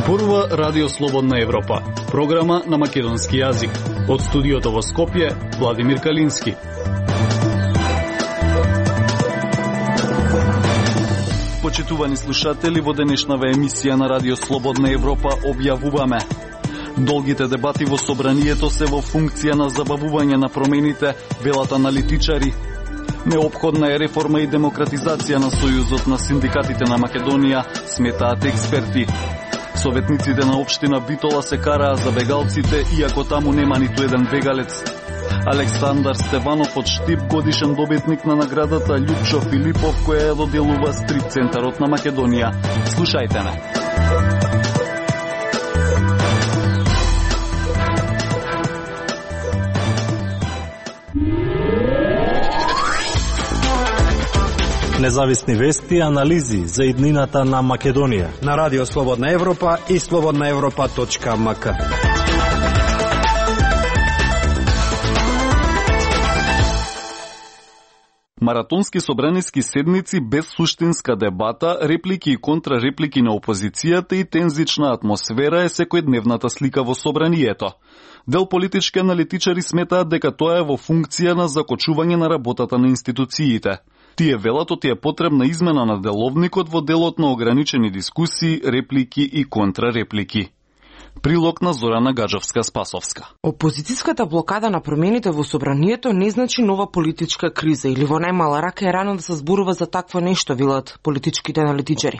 Зборува Радио Слободна Европа, програма на македонски јазик. Од студиото во Скопје, Владимир Калински. Почитувани слушатели, во денешнава емисија на Радио Слободна Европа објавуваме: долгите дебати во собранието се во функција на забавување на промените, велат аналитичари. Неопходна е реформа и демократизација на Сојузот на синдикатите на Македонија, сметаат експерти. Советниците на општина Битола се караа за бегалците, иако таму нема ниту еден бегалец. Александар Стеванов од Штип, годишен добитник на наградата Љупчо Филипов, која ја доделува Стрит центарот на Македонија. Слушајте ме. Независни вести и анализи за иднината на Македонија на Радио Слободна Европа и slobodnaevropa.mk. Маратонски собраниски седници без суштинска дебата, реплики и контрареплики на опозицијата и тензична атмосфера е секојдневната слика во собранието. Дел политички аналитичари сметаат дека тоа е во функција на закочување на работата на институциите. Тие велат оти е потребна измена на деловникот во делот на ограничени дискусии, реплики и контрареплики. Прилог на Зорана Гаджовска-Спасовска. Опозицијската блокада на промените во собранието не значи нова политичка криза или во најмала рака е рано да се зборува за такво нешто, велат политичките аналитичари.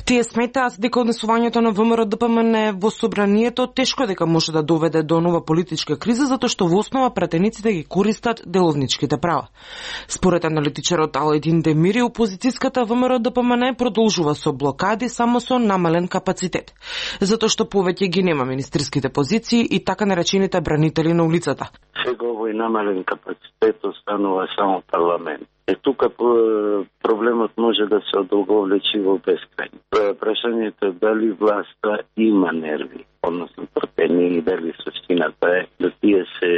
Тие сметаат дека однесувањето на ВМРО-ДПМН во собранието тешко дека може да доведе до нова политичка криза, затоа што во основа пратениците ги користат деловничките права. Според аналитичарот Аледин Демири, опозицијската ВМРО-ДПМН продолжува со блокади само со намален капацитет, затоа што повеќе ги нема министерските позиции и така наречените бранители на улицата. Сега овој намален капацитет останува само парламент. Тука проблемот може да се одолговлечи во бескрај. Прашањето е дали власта има нерви, односно трпение, и дали суштината е да тие се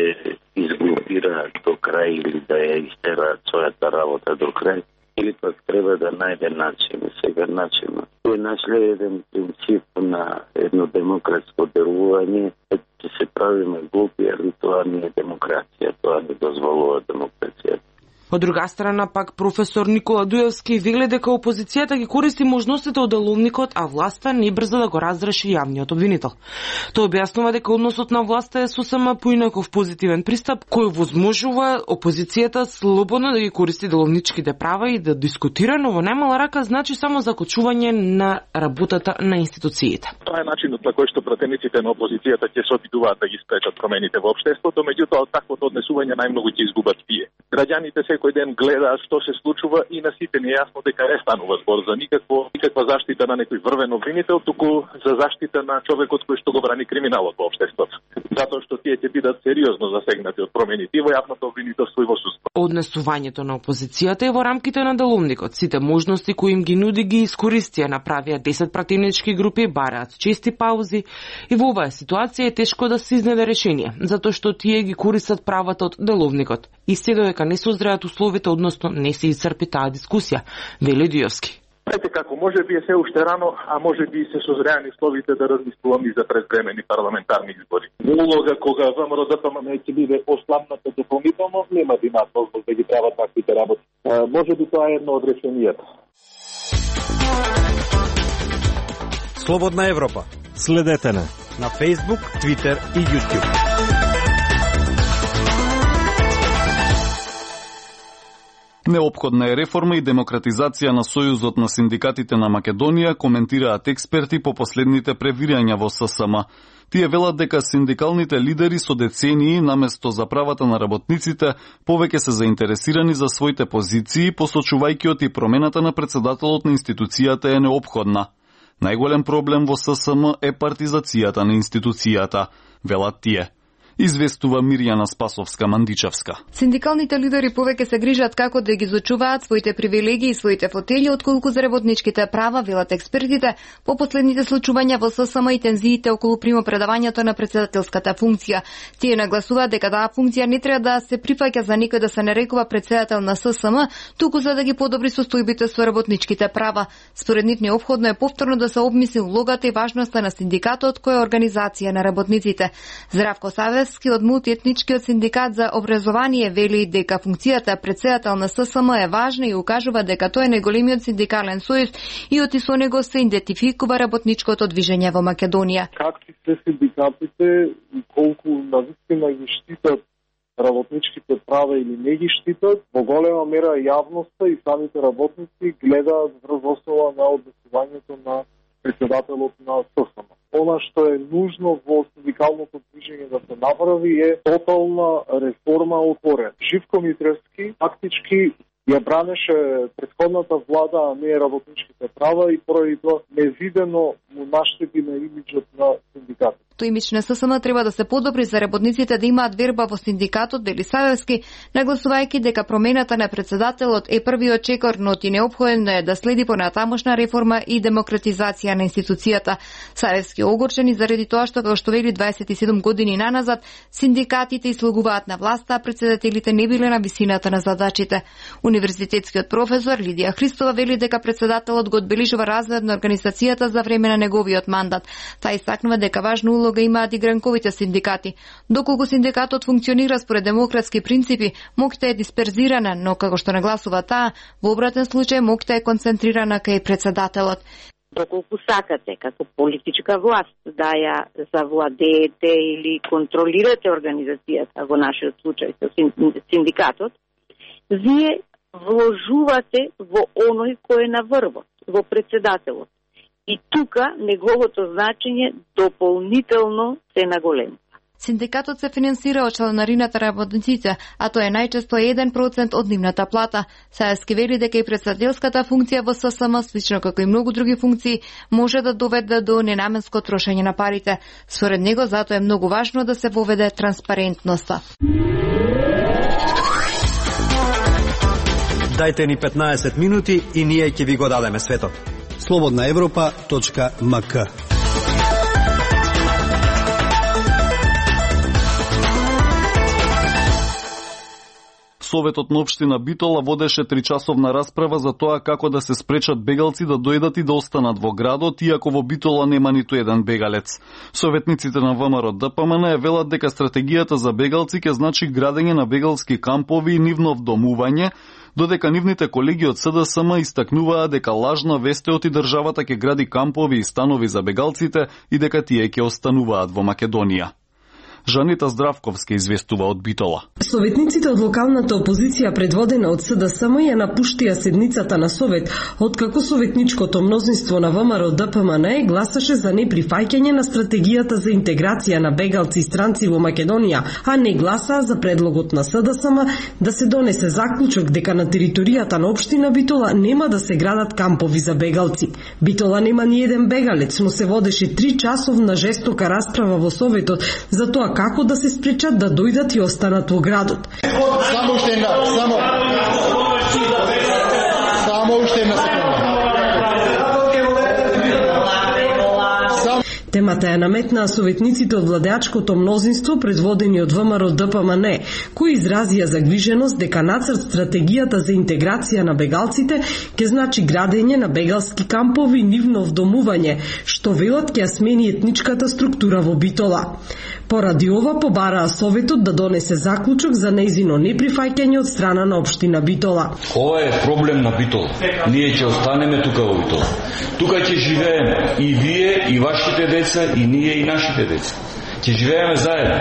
изглупираат до крај или да ја истераат својата работа до крај, или пак треба да најде начин. Сега начин тој нашле еден принцип на едно демократско делување, ќе се правиме глупи, али тоа не е демокрација, тоа не дозволува демокрацијата. Од друга страна пак професор Никола Дуевски вели дека опозицијата ги користи можностите од деловникот, а власта не брза да го разреши јавниот обвинител. Тој објаснува дека односот на власта е сосема поинаков позитивен пристап кој возможува опозицијата слободно да ги користи деловничките права и да дискутира, но во најмала рака значи само закочување на работата на институциите. Тоа е начинот на кој што пратениците на опозицијата ќе се обидуваат да ги спречат промените во општеството, меѓутоа од таквото однесување најмногу ќе изгубат тие. Граѓаните секој ден гледаат што се случува и на сите не јасно дека не станува збор за никаква заштита на некој врвен обвинител, туку за заштита на човекот кој што го брани криминалот во општеството. Затоа што тие ќе бидат сериозно засегнати од промените во јавното обвинителство и во судство. Однесувањето на опозицијата е во рамките на деловникот. Сите можности кои им ги нуди ги искористија, направија 10 пратенички групи, бараат чести паузи и во оваа ситуација е тешко да се изнеде решение, затоа што тие ги користат правата од деловникот. Исти додека не се озреат условите, односно не се исцрпи таа дискусија, вели Диовски. Знаете како, може би е се уште рано, а може би се созреани условите да размислуваме и за предвремени парламентарни избори. Улога кога ВМРО-ДПМН ќе биде ослабната дополнително, нема да има позвол да ги прават таквите работи. Може би тоа е едно од решенијата. Слободна Европа. Следете на Facebook, Twitter и YouTube. Неопходна е реформа и демократизација на Сојузот на синдикатите на Македонија, коментираат експерти по последните превирања во ССМ. Тие велат дека синдикалните лидери со децении, наместо за правата на работниците, повеќе се заинтересирани за своите позиции, посочувајќи оти промената на председателот на институцијата е неопходна. Најголем проблем во ССМ е партизацијата на институцијата, велат тие. известува Мирјана Спасовска-Мандичевска. Синдикалните лидери повеќе се грижат како да ги изучуваат своите привилегии и своите фотели, отколку за работничките права, велат експертите, по последните случувања во ССМ и тензиите околу примопредавањето на председателската функција. Тие нагласуваат дека таа функција не треба да се прифаќа за никој да се нарекува председател на ССМ, туку за да ги подобри состојбите со работничките права. Според нив неопходно е повторно да се обмисли улогата и важноста на синдикатот кој е организација на работниците. Здравко Савевски од мултиетничкиот синдикат за образование вели дека функцијата председател на ССМ е важна и укажува дека тој е најголемиот синдикален сојуз и од со него се идентификува работничкото движење во Македонија. Какви се синдикатите и колку навистина ги штитат работничките права или не ги штитат, во голема мера јавноста и самите работници гледаат врз основа на однесувањето на председателот на ССМ. Она што е нужно во синдикалното движење да се направи е тотална реформа отворен. Живко Митревски фактички ја бранеше претходната влада, а не работничките права и поради тоа невидено му наштети на имиджот на синдикатот. Тој имидж на ССМ треба да се подобри за работниците да имаат верба во синдикатот, вели Савевски, нагласувајќи дека промената на председателот е првиот чекор, но ти неопходно е да следи понатамошна реформа и демократизација на институцијата. Савевски огорчен и заради тоа што, како што вели 27 години наназад, синдикатите изслугуваат на власта, а председателите не биле на висината на задачите. Универзитетскиот професор Лидија Христова вели дека председателот го одбележува разглед на организацијата за време на неговиот мандат. Таа истакнува дека важна улога имаат и гранковите синдикати. Доколку синдикатот функционира според демократски принципи, моќта е дисперзирана, но како што нагласува таа, во обратен случај моќта е концентрирана кај председателот. Доколку сакате како политичка власт да ја завладеете или контролирате организацијата, во нашиот случај со синдикатот, вие вложувате во оној кој е на врвот, во председателот. И тука неговото значење дополнително се наголемува. Синдикатот се финансира од чланарината работниците, а тоа е најчесто 1% од нивната плата. Савевски вели дека и председателската функција во ССМ, слично како и многу други функции, може да доведе до ненаменско трошење на парите. Според него, затоа е многу важно да се воведе транспарентноста. Дајте ни 15 минути и ние ќе ви го дадеме светот. slobodnaevropa.mk. Советот на општина Битола водеше 3-часовна расправа за тоа како да се спречат бегалци да дојдат и да останат во градот, иако во Битола нема ниту еден бегалец. Советниците на ВМРО ДПМН велат дека стратегијата за бегалци ќе значи градење на бегалски кампови и нивно вдомување, додека нивните колеги од СДСМ истакнуваа дека лажна вест е оти државата ќе гради кампови и станови за бегалците и дека тие ќе остануваат во Македонија. Жанита Здравковска известува од Битола. Советниците од локалната опозиција предводена од СДСМ ја напуштија седницата на Совет, откако советничкото мнозинство на ВМРО ДПМН гласаше за неприфаќање на стратегијата за интеграција на бегалци и странци во Македонија, а не гласаа за предлогот на СДСМ да се донесе заклучок дека на територијата на општина Битола нема да се градат кампови за бегалци. Битола нема ни еден бегалец, но се водеше 3-часовна жестока расправа во Советот за тоа како да се спречат да дојдат и останат во градот. Само уште една секунда. Темата ја наметнаа советниците од владеачкото мнозинство предводени од ВМРО ДПМН, кои изразија загриженост дека нацрт стратегијата за интеграција на бегалците ќе значи градење на бегалски кампови и нивно вдомување, што велат ќе смени етничката структура во Битола. Поради ова побараа Советот да донесе заклучок за нејзино неприфаќање од страна на општина Битола. Ова е проблем на Битола. Ние ќе останеме тука во Битола. Тука ќе живееме и вие, и вашите деца, и ние, и нашите деца. Ќе живееме заедно.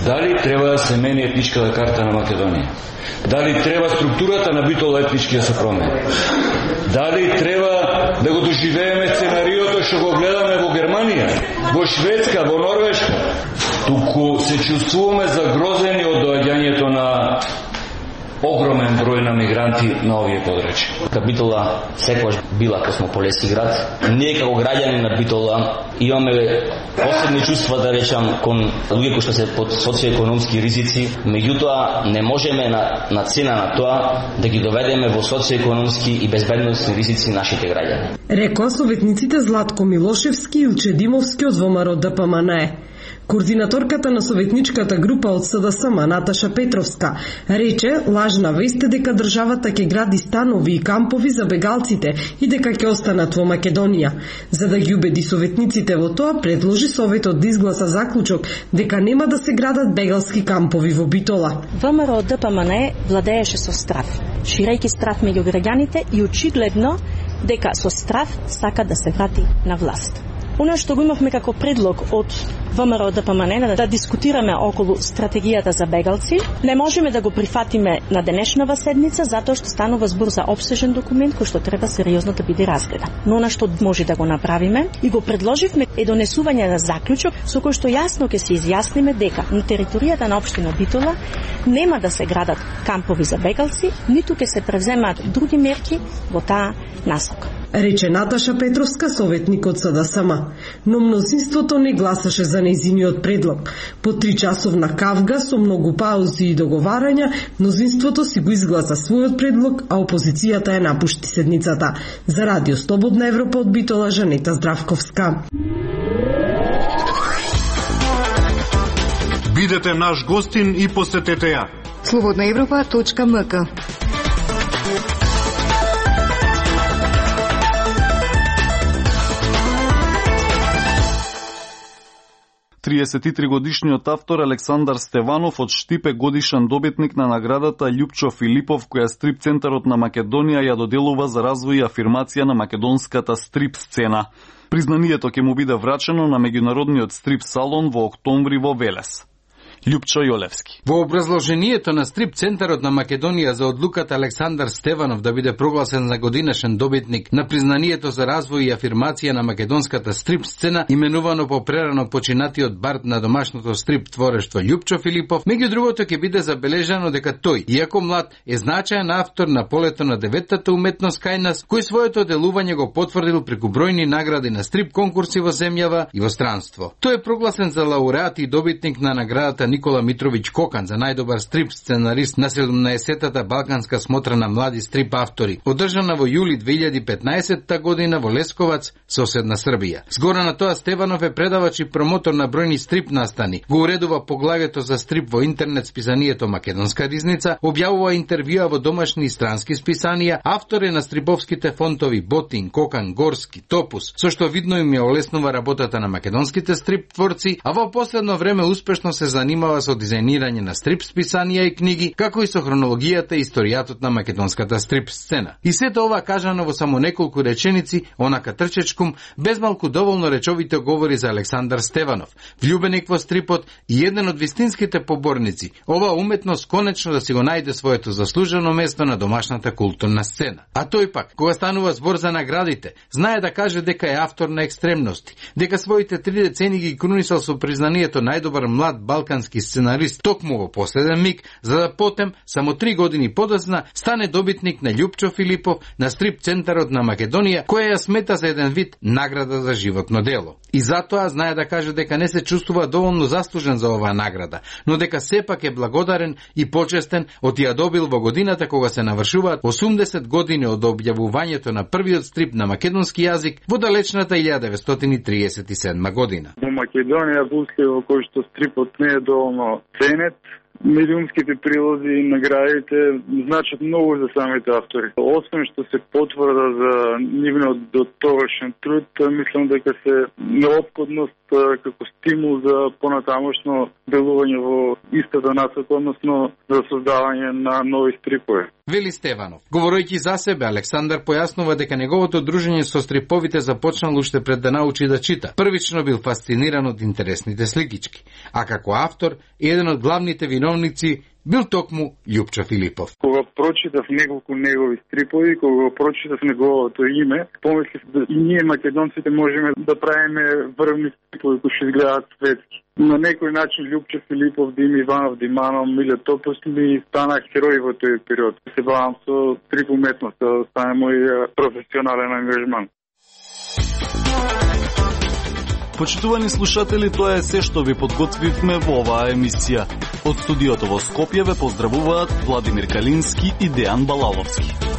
Дали треба да се мени етничката карта на Македонија? Дали треба структурата на Битола етнички да се промени? Дали треба да го доживееме сценариото што го гледаме во Германија, во Шведска, во Норвешка? Туку се чувствуваме загрозени од доаѓањето на огромен број на мигранти на овие подрачја. Битола секогаш била космополетски град. Ние како граѓани на Битола имаме посебни чувства, да речам, кон луѓе кои што се под социоекономски ризици, меѓутоа не можеме на цена на тоа да ги доведеме во социоекономски и безбедносни ризици нашите граѓани. Рекоа советниците Златко Милошевски и Илче Димовски од ВМРО ДПМНЕ. Координаторката на советничката група од СДСМ Наташа Петровска рече лажна вест е дека државата ќе гради станови и кампови за бегалците и дека ќе останат во Македонија. За да ги убеди советниците во тоа, предложи Советот да изгласа заклучок дека нема да се градат бегалски кампови во Битола. ВМРО ДПМНЕ владееше со страв, ширејќи страв меѓу граѓаните и очигледно дека со страв сака да се врати на власт. Оно што го имавме како предлог од ВМРО ДПМНЕ да дискутираме околу стратегијата за бегалци, не можеме да го прифатиме на денешнава седница затоа што станува збор за опсежен документ кој што треба сериозно да биде разгледан. Но она што може да го направиме и го предложивме е донесување на заклучок со кој што јасно ќе се изјасниме дека на територијата на општина Битола нема да се градат кампови за бегалци, ниту ќе се превземаат други мерки во таа насока. Рече Наташа Петровска, советник од СДСМ, но мнозинството не гласаше за нејзиниот предлог. По 3-часовна кавга со многу паузи и договарања, мнозинството си го изгласа својот предлог, а опозицијата ја напушти седницата. За Радио Слободна Европа од Битола, Жанета Здравковска. Бидете наш гостин и посетете ја. slobodnaevropa.mk 33-годишниот автор Александар Стеванов од Штип е годишен добитник на наградата Љупчо Филипов, која Стрип центарот на Македонија ја доделува за развој и афирмација на македонската стрип сцена. Признанието ќе му биде врачено на меѓународниот стрип салон во октомври во Велес. Љупчо Јолевски. Во образложението на Стрип центарот на Македонија за одлуката Александар Стеванов да биде прогласен за годинешен добитник на признанието за развој и афирмација на македонската стрип сцена, именувано по прерано починатиот бард на домашното стрип творештво Љупчо Филипов, меѓу другото ќе биде забележано дека тој, иако млад, е значаен автор на полето на деветата уметност кај нас, кој своето делување го потврдил преку бројни награди на стрип конкурси во земјава и во странство. Тој е прогласен за лауреат и добитник на наградата Никола Митровиќ Кокан за најдобар стрип сценарист на 17-тата Балканска смотра на млади стрип автори, одржана во јули 2015 година во Лесковац, соседна Србија. Згора на тоа, Стеванов е предавач и промотор на бројни стрип настани, го уредува поглавието за стрип во интернет списанието Македонска ризница, објавува интервјуа во домашни и странски списанија, автор е на стриповските фонтови Ботин, Кокан, Горски, Топус, со што видно им ја олеснува работата на македонските стрип творци, а во последно време успешно се занимава со дизајнирање на стрип списанија и книги, како и со хронологијата и историјатот на македонската стрип сцена. И сето ова кажано во само неколку реченици, онака трчечкум, без малку доволно речовите говори за Александар Стеванов, влюбеник во стрипот и еден од вистинските поборници, ова уметност конечно да си го најде своето заслужено место на домашната културна сцена. А тој пак, кога станува збор за наградите, знае да каже дека е автор на екстремности, дека своите 3 децени ги крунисал со признанието најдобар млад балкански сценарист токму во последен миг, за да потем, само 3 години подоцна, стане добитник на Љупчо Филипов на Стрип центарот на Македонија, која ја смета за еден вид награда за животно дело. И затоа знае да каже дека не се чувствува доволно заслужен за оваа награда, но дека сепак е благодарен и почестен од ја добил во годината кога се навршуваат 80 години од објавувањето на првиот стрип на македонски јазик во далечната 1937 година. Во Македонија бусле во кој што стрипот не е доволно ценет, милионските прилози и наградите значат многу за самите автори. Освен што се потврда за нивниот дотогашен труд, мислам дека се неопходност како стимул за понатамошно делување во истата насока, односно за создавање на нови стрипови. Вели Стеванов. Говорејќи за себе, Александар појаснува дека неговото дружење со стриповите започнало уште пред да научи да чита. Првично бил фасциниран од интересните сликички, а како автор еден од главните виновници бил токму Љупчо Филипов. Кога прочитав неколку негови стрипови, кога прочитав неговото име, помислив да и ние македонците можеме да правиме врвни стрипови кои ќе изгледаат светски. На некој начин Љупчо Филипов, Дим Иванов, Диманов, Миле Топосли станах херои во тој период. Се бавам со стрип уметност, да стане мој професионален ангажман. Почитувани слушатели, тоа е се што ви подготвивме во оваа емисија. Од студиото во Скопје ве поздравуваат Владимир Калински и Дејан Балаловски.